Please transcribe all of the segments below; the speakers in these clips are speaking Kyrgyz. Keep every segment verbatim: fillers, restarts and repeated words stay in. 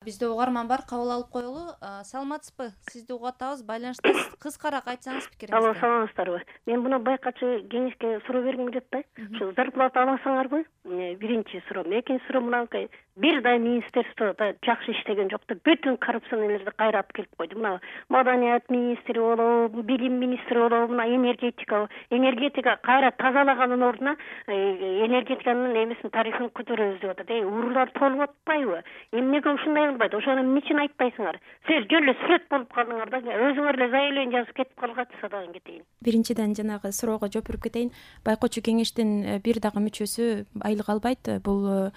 Бизде угарман бар, кабыл алып коелу. Саламатсызбы? Сизди угуп атабыз, байланыштасыз. Кыскараак айтсаңыз пикириңизди. Алло, саламатсыздарбы? Мен буну байкачы кеңешке суроо бергим келип атпайбы? Ушу зарплата аласыңарбы? Биринчи суроом. Экинчи суроом мынакей. Бир да министерствода жакшы иштеген жок деп бүтүн коррупционерлерди кайрап келип койду. Мына маданият министри болобу, билим министри болобу, мына энергетика, энергетика кайра тазалагандын ордуна энергетиканын эмесин тарифин көтөрөбүз деп атат. Эй, уруулар толуп атпайбы? Эмнеге ушундай кылбайт? Ошону эмне үчүн айтпайсыңар? Силер жөн эле сүрөт болуп калдыңар да, өзүңөр эле заявление жазып кетип калгачы садагын кетейин. Биринчиден жанагы суроого жооп берип кетейин. Байкоочу кеңештин бир дагы мүчөсү айлык албайт. Бул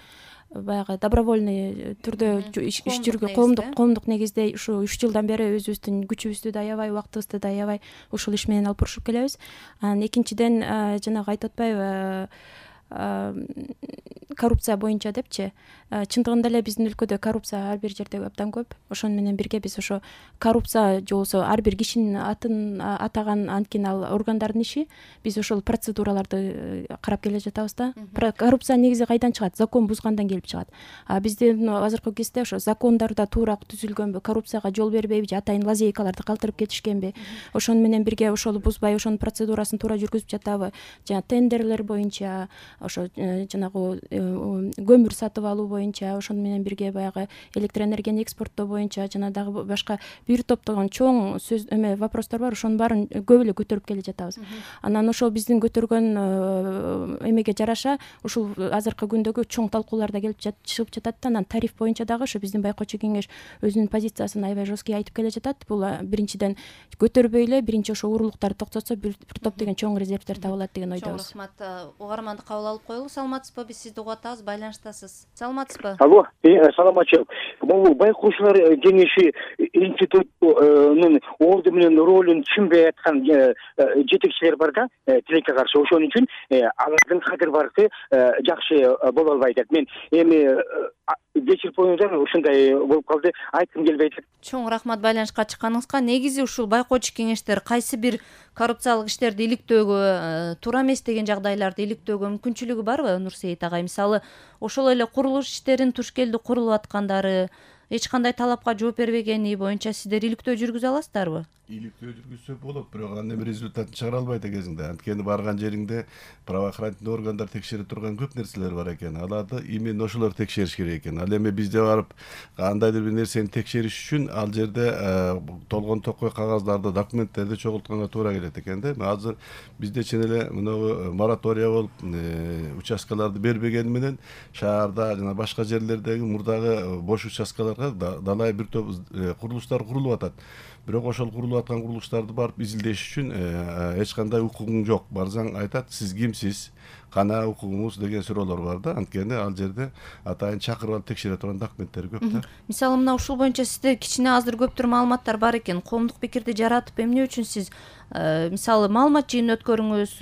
баягы добровольный түрдө иш жүргөн коомдук коомдук негизде ушу үч жылдан бери өзүбүздүн күчүбүздү да аябай, убактыбызды да аябай ушул иш менен алып бурушуп келебиз. Анан экинчиден жанагы айтып атпайбы, коррупция боюнча депчи. Чындыгында эле биздин өлкөдө коррупция ар бир жерде абдан көп. Ошону менен бирге биз ошо коррупция же болбосо ар бир кишинин атын атаган анткени ал органдардын иши. Биз ошол процедураларды карап келе жатабыз да. Коррупция негизи кайдан чыгат? Закон бузгандан келип чыгат. А биздин азыркы кезде ошо закондордо туура түзүлгөнбү, коррупцияга жол бербейби же атайын лазейкаларды калтырып кетишкенби? Ошону менен бирге ошол бузбай, ошонун процедурасын туура жүргүзүп жатабы? Жана тендерлер боюнча, ошо жанагы көмүр сатып алуу боюнча, ошону менен бирге баягы электроэнергияны экспорттоо боюнча жана дагы башка бир топтогон чоң сөз эме вопростор бар. Ошонун баарын көп эле көтөрүп келе жатабыз. Анан ошол биздин көтөргөн эмеге жараша ушул азыркы күндөгү чоң талкуулар да келип чыгып жатат да. Анан тариф боюнча дагы ошо биздин байкоочу кеңеш өзүнүн позициясын аябай жесткий айтып келе жатат. Бул биринчиден көтөрбөй эле биринчи ошо урурлуктарды токтотсо бир топ деген чоң резервдер табылат деген ойдобуз. Чоң рахмат. Угарманды кабыл алып коелу. Саламатсызбы? Биз сизди угуп атабыз, байланыштасыз. Саламатсызбы? Алло, саламатчы. Бул байкоочулар кеңеши институттун орду менен ролун түшүнбөй аткан жетекчилер бар да, тилекке каршы. Ошон үчүн алардын кадыр баркы жакшы боло албайт. Мен эми кечирип коюңуздар, ушундай болуп калды, айткым келбей атат. Чоң рахмат байланышка чыкканыңызга. Негизи ушул байкоочу кеңештер кайсы бир коррупциялык иштерди иликтөөгө, туура эмес деген жагдайларды иликтөөгө мүмкүнчүлүгү барбы, Нурсейит агай? Мисалы, ошол эле курулуш иштерин туш келди курулуп аткандары, эч кандай талапка жооп бербегени боюнча сиздер иликтөө жүргүзө аласыздарбы? Иликтөө жүргүзсө болот, бирок анын эми результатын чыгара албайт экенсиң да. Анткени барган жериңде правоохранительный органдар текшере турган көп нерселер бар экен. Аларды именно ошолор текшериш керек экен. Ал эми бизде барып кандайдыр бир нерсени текшериш үчүн ал жерде толгон токой кагаздарды, документтерди чогултканга туура келет экен да. Азыр бизде чын эле мынагу моратория болуп, участкаларды бербегени менен шаарда жана башка жерлердеги мурдагы бош участкаларга далай бир топ курулуштар курулуп атат. Бирок ошол курулуп аткан курулуштарды барып изилдеш үчүн эч кандай укугуң жок. Барсаң айтат, сиз кимсиз, кана укугуңуз деген суроолор бар да. Анткени ал жерде атайын чакырып алып текшере турган документтер көп да. Мисалы, мына ушул боюнча сизде кичине аздыр көптүр маалыматтар бар экен. Коомдук пикирди жаратып, эмне үчүн сиз мисалы маалымат жыйын өткөрүңүз,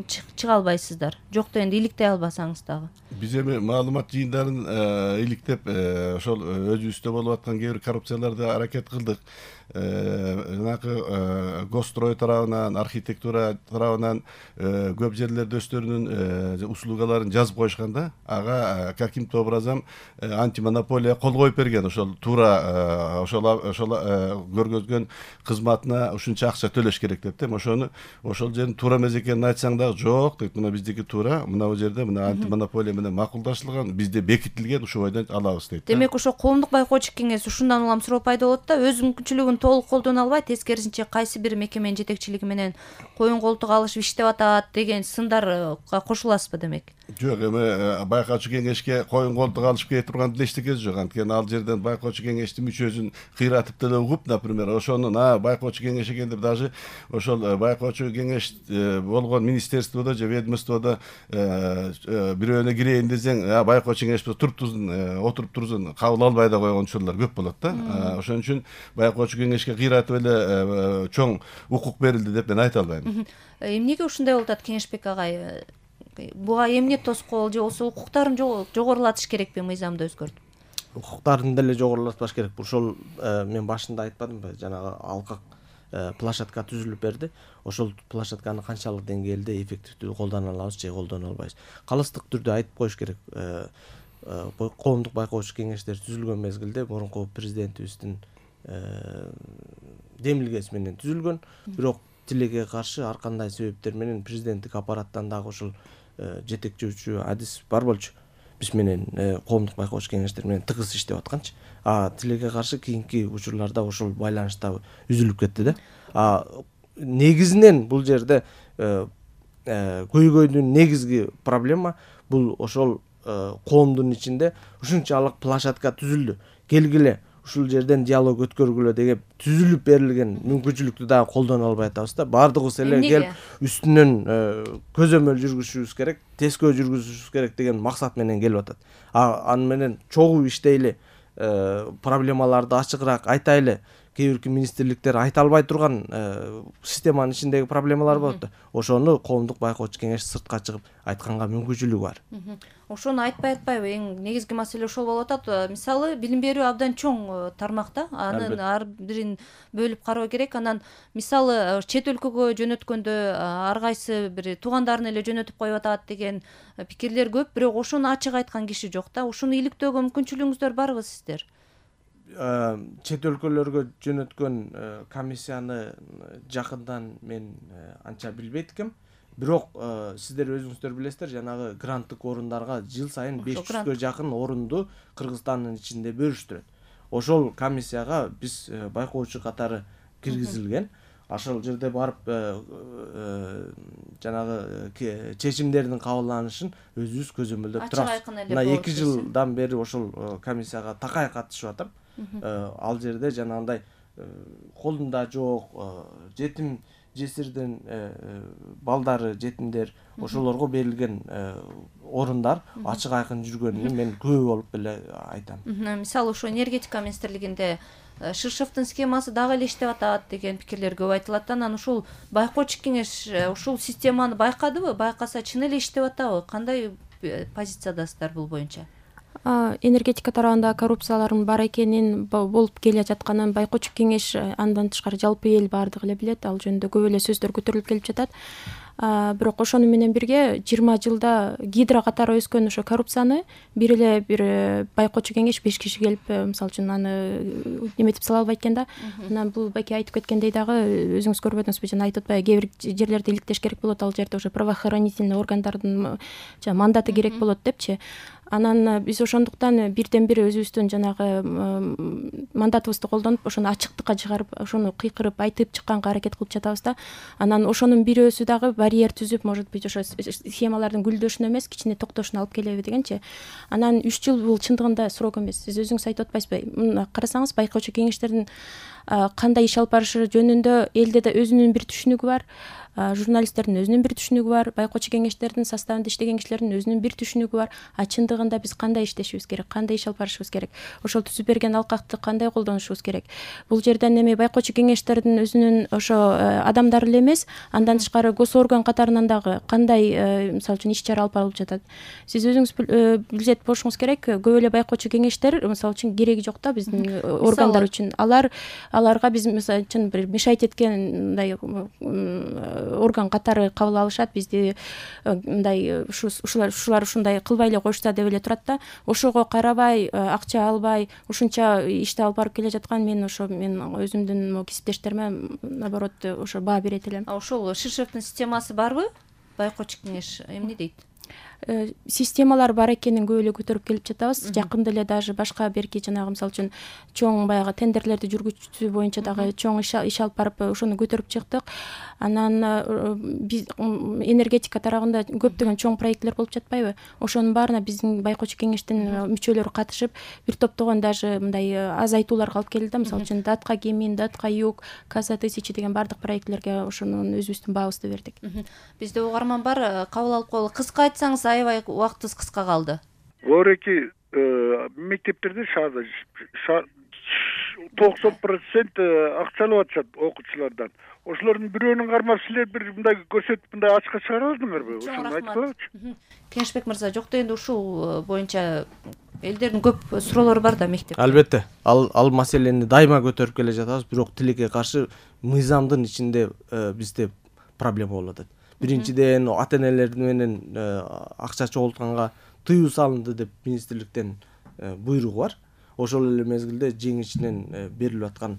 чыга албайсыздар? Жокто энди иликтей албасаңыз дагы. Биз эми маалымат жыйындарын иликтеп, ошол өзүбүздө болуп аткан кээ бир коррупцияларды аракет кылдык. Жанагы госстрой тарабынан, архитектура тарабынан көп жерлерде өздөрүнүн услугаларын жазып коюшкан да. Ага каким-то образом антимонополия кол коюп берген. Ошол туура ошол ошол көргөзгөн кызматына ушунча акча төлөш керек деп да. Ошону ошол жердин туура эмес экенин айтсаң дагы жок дейт. Мына биздики туура, мына бул жерде мына антимонополия менен макулдашылган, бизде бекитилген, ушул бойдон алабыз дейт. Демек ошо коомдук байкоочу кеңес ушундан улам суроо пайда болот да, өз мүмкүнчүлүгүн толук колдоно албайт, тескерисинче кайсы бир мекеменин жетекчилиги менен коюн колтук алышып иштеп атат деген сындарга кошуласызбы демек? Жок, эми байкоочу кеңешке коюн колтук алышып кете турган эчтекеси жок. Анткени ал жерден байкоочу кеңештин мүчөсүн кыйратып деле угуп, например, ошонун а байкоочу кеңеш экен деп даже ошол байкоочу кеңеш болгон министерстводо же ведомстводо бирөөнө кирейин десең, а байкоочу кеңеш туруп турсун, отуруп турсун, кабыл албай да койгон учурлар көп болот да. Ошон үчүн байкоочу кеңешке кыйратып эле чоң укук берилди деп мен айта албайм. Эмнеге ушундай болуп атат Кеңешбек агай? Буга эмне тоскоол же болбосо укуктарын жогорулатыш керекпи, мыйзамды өзгөртүп? Укуктарын деле жогорулатпаш керек. Ошол мен башында айтпадымбы, жанагы алкак площадка түзүлүп берди. Ошол площадканы канчалык деңгээлде эффективдүү колдоно алабыз же колдоно албайбыз. Калыстык түрдө айтып коюш керек. коомдук байкоочу кеңештер түзүлгөн мезгилде мурунку президентибиздин демилгеси менен түзүлгөн. Бирок тилекке каршы ар кандай себептер менен президенттик аппараттан дагы ошол жетекчүүчү адис бар болчу. Биз менен коомдук байкоочу кеңештер менен тыгыз иштеп атканчы. А тилекке каршы кийинки учурларда ошол байланыш да үзүлүп кетти да. А негизинен бул жерде көйгөйдүн негизги проблема бул ошол коомдун ичинде ушунчалык площадка түзүлдү. Келгиле ушул жерден диалог өткөргүлө деген түзүлүп берилген мүмкүнчүлүктү дагы колдоно албай атабыз да. Бардыгыбыз эле келип үстүнөн көзөмөл жүргүзүшүбүз керек, тескөө жүргүзүшүбүз керек деген максат менен келип атат. А аны менен чогуу иштейли, проблемаларды ачыгыраак айтайлы. Кээ бирки министрликтер айта албай турган системанын ичиндеги проблемалар болот да. Ошону коомдук байкоочу кеңеш сыртка чыгып айтканга мүмкүнчүлүгү бар. Ошону айтпай атпайбы? Эң негизги маселе ошол болуп атат. Мисалы, билим берүү абдан чоң тармакта. Анын ар бирин бөлүп кароо керек. Анан мисалы чет өлкөгө жөнөткөндө ар кайсы бир туугандарын эле жөнөтүп коюп атат деген пикирлер көп, бирок ошону ачык айткан киши жок да. Ошону иликтөөгө мүмкүнчүлүгүңүздөр барбы сиздер? Чет өлкөлөргө жөнөткөн комиссияны жакындан мен анча билбейт экем. Бирок сиздер өзүңүздөр билесиздер, жанагы гранттык орундарга жыл сайын беш жүзгө жакын орунду Кыргызстандын ичинде бөлүштүрөт. Ошол комиссияга биз байкоочу катары киргизилген. Ошол жерде барып жанагы чечимдердин кабылданышын өзүбүз көзөмөлдөп турабыз. Мына эки жылдан бери ошол комиссияга такай катышып атам. Ал жерде жанагындай колунда жок жетим жесирдин балдары, жетимдер ошолорго берилген орундар ачык айкын жүргөнүн мен күбө болуп эле айтам. Мисалы ошо энергетика министрлигинде Ширшевдин схемасы дагы эле иштеп атат деген пикирлер көп айтылат. Анан ушул байкоочу кеңеш ушул системаны байкадыбы? Байкаса чын эле иштеп атабы? Кандай позициядасыздар бул боюнча? Энергетика тарабында коррупциялардын бар экенин, болуп келе жатканын байкоочу кеңеш андан тышкары жалпы эл бардыгы эле билет. Ал жөнүндө көп эле сөздөр көтөрүлүп келип жатат. Бирок ошону менен бирге жыйырма жылда гидро катары өскөн ошо коррупцияны бир эле бир байкоочу кеңеш беш киши келип, мисалы үчүн аны неметип сала албайт экен да. Анан бул беки айтып кеткендей дагы өзүңүз көрбөдүңүзбү, жана айтып атпайбы, кээ бир жерлерде иликтеш керек болот, ал жерде уже правоохранительный органдардын мандаты керек болот депчи. Анан биз ошондуктан бирден бир өзүбүздүн жанагы мандатыбызды колдонуп, ошону ачыктыкка чыгарып, ошону кыйкырып айтып чыкканга аракет кылып жатабыз да. Анан ошонун бирөөсү дагы барьер түзүп, может быть, ошо схемалардын гүлдөшүнө эмес, кичине токтошуна алып келеби дегенчи. Анан үч жыл бул чындыгында срок эмес. Сиз өзүңүз айтып атпайсызбы? Карасаңыз, байкоочу кеңештердин кандай иш алып барышы жөнүндө элде да өзүнүн бир түшүнүгү бар. Журналисттердин өзүнүн бир түшүнүгү бар, байкоочу кеңештердин составында иштеген кишилердин өзүнүн бир түшүнүгү бар. А чындыгында биз кандай иштешибиз керек, кандай иш алып барышыбыз керек, ошол түзүп берген алкакты кандай колдонушубуз керек. Бул жерден эми байкоочу кеңештердин өзүнүн ошо адамдары эле эмес, андан тышкары госорган катарынан дагы кандай, мисалы үчүн, иш чара алып барылып жатат. Сиз өзүңүз билет болушуңуз керек, көп эле байкоочу кеңештер, мисалы үчүн, кереги жок да биздин органдар үчүн. Алар аларга биз мисалы үчүн бир мешайт эткен мындай орган катары кабыл алышат, бизди мындай ушулар ушулар ушундай кылбай эле коюшса деп эле турат да. Ошого карабай, акча албай, ушунча ишти алып барып келе жаткан мен ошо мен өзүмдүн кесиптештериме наоборот ошо баа берет элем. А ошол Ширшевдин системасы барбы? Байкоочу кеңеш эмне дейт? Системалар бар экенин көп эле көтөрүп келип жатабыз. Жакында эле даже башка берки жанагы мисалы үчүн чоң баягы тендерлерди жүргүзүү боюнча дагы чоң иш алып барып ошону көтөрүп чыктык. Анан биз энергетика тарабында көптөгөн чоң проектлер болуп жатпайбы? Ошонун баарына биздин байкоочу кеңештин мүчөлөрү катышып, бир топтогон даже мындай азайтууларга алып келди да. Мисалы үчүн Датка Гемин, Датка Юг, Каза тысячи деген бардык проектлерге ошонун өзүбүздүн баабызды бердик. Бизде угарман бар, кабыл алып коелу. Кыска айтсаңыз, аябай убактыбыз кыска калды. Ореки мектептерде шаарда токсон процент акча алып атышат окуучулардан. Ошолордун бирөөнүн кармап силер бир мындай көрсөтүп мындай ачыкка чыгара алдыңарбы? Ошону айткылачы. Кеңешбек мырза, жок дегенде ушул боюнча элдердин көп суроолору бар да мектепте. Албетте, ал ал маселени дайыма көтөрүп келе жатабыз, бирок тилекке каршы мыйзамдын ичинде бизде проблема болуп атат. Биринчиден ата энелер менен акча чогултканга тыюу салынды деп министрликтен буйругу бар. Ошол эле мезгилде жеңишинен берилип аткан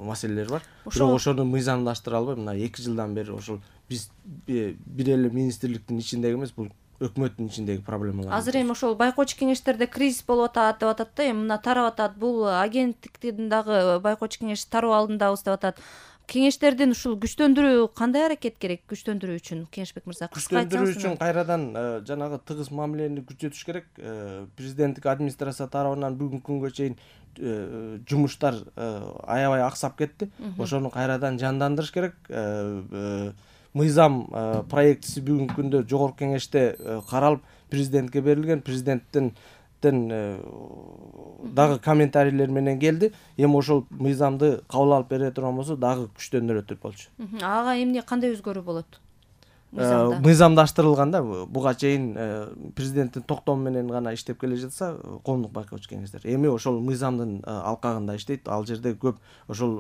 маселелер бар. Бирок ошону мыйзамдаштыра албай мына эки жылдан бери ошол биз бир эле министрликтин ичиндеги эмес, бул өкмөттүн ичиндеги проблемалар. Азыр эми ошол байкоочу кеңештерде кризис болуп атат деп атат да, эми мына тарап атат. Бул агенттиктин дагы байкоочу кеңеш тароо алдындабыз деп атат. Кеңештердин ушул күчтөндүрүү кандай аракет керек күчтөндүрүү үчүн? Кеңешбек мырза, күчтөндүрүү үчүн кайрадан жанагы тыгыз мамилени күчөтүш керек. Президенттик администрация тарабынан бүгүнкү күнгө чейин жумуштар аябай аксап кетти. Ошону кайрадан жандандырыш керек. Мыйзам проектиси бүгүнкү күндө жогорку кеңеште каралып президентке берилген. Президенттин дагы комментарийлер менен келди. Эми ошол мыйзамды кабыл алып бере турган болсо дагы күчтөндүрөт болчу. Ага эмне кандай өзгөрүү болот? Мыйзамдаштырылган да, буга чейин президенттин токтому менен гана иштеп келе жатса коомдук байкоочу кеңештер. Эми ошол мыйзамдын алкагында иштейт. Ал жерде көп ошол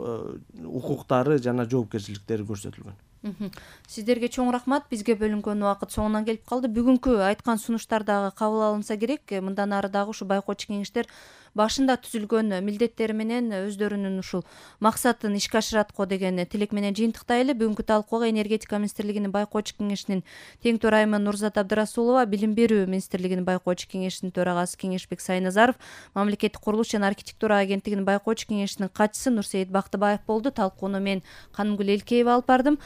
укуктары жана жоопкерчиликтери көрсөтүлгөн. Сиздерге чоң рахмат. Бизге бөлүнгөн убакыт соңунан келип калды. Бүгүнкү айткан сунуштар дагы кабыл алынса керек. Мындан ары дагы ушу байкоочу кеңештер башында түзүлгөн милдеттери менен өздөрүнүн ушул максатын ишке ашырат го деген тилек менен жыйынтыктайлы. Бүгүнкү талкууга энергетика министрлигинин байкоочу кеңешинин тең төрайымы Нурзат Абдрасулова, билим берүү министрлигинин байкоочу кеңешинин төрагасы Кеңешбек Сайназаров, мамлекеттик курулуш жана архитектура агенттигинин байкоочу кеңешинин катчысы Нурсейит Бактыбаев болду. Талкууну мен Канымгүл Элкеева алып бардым.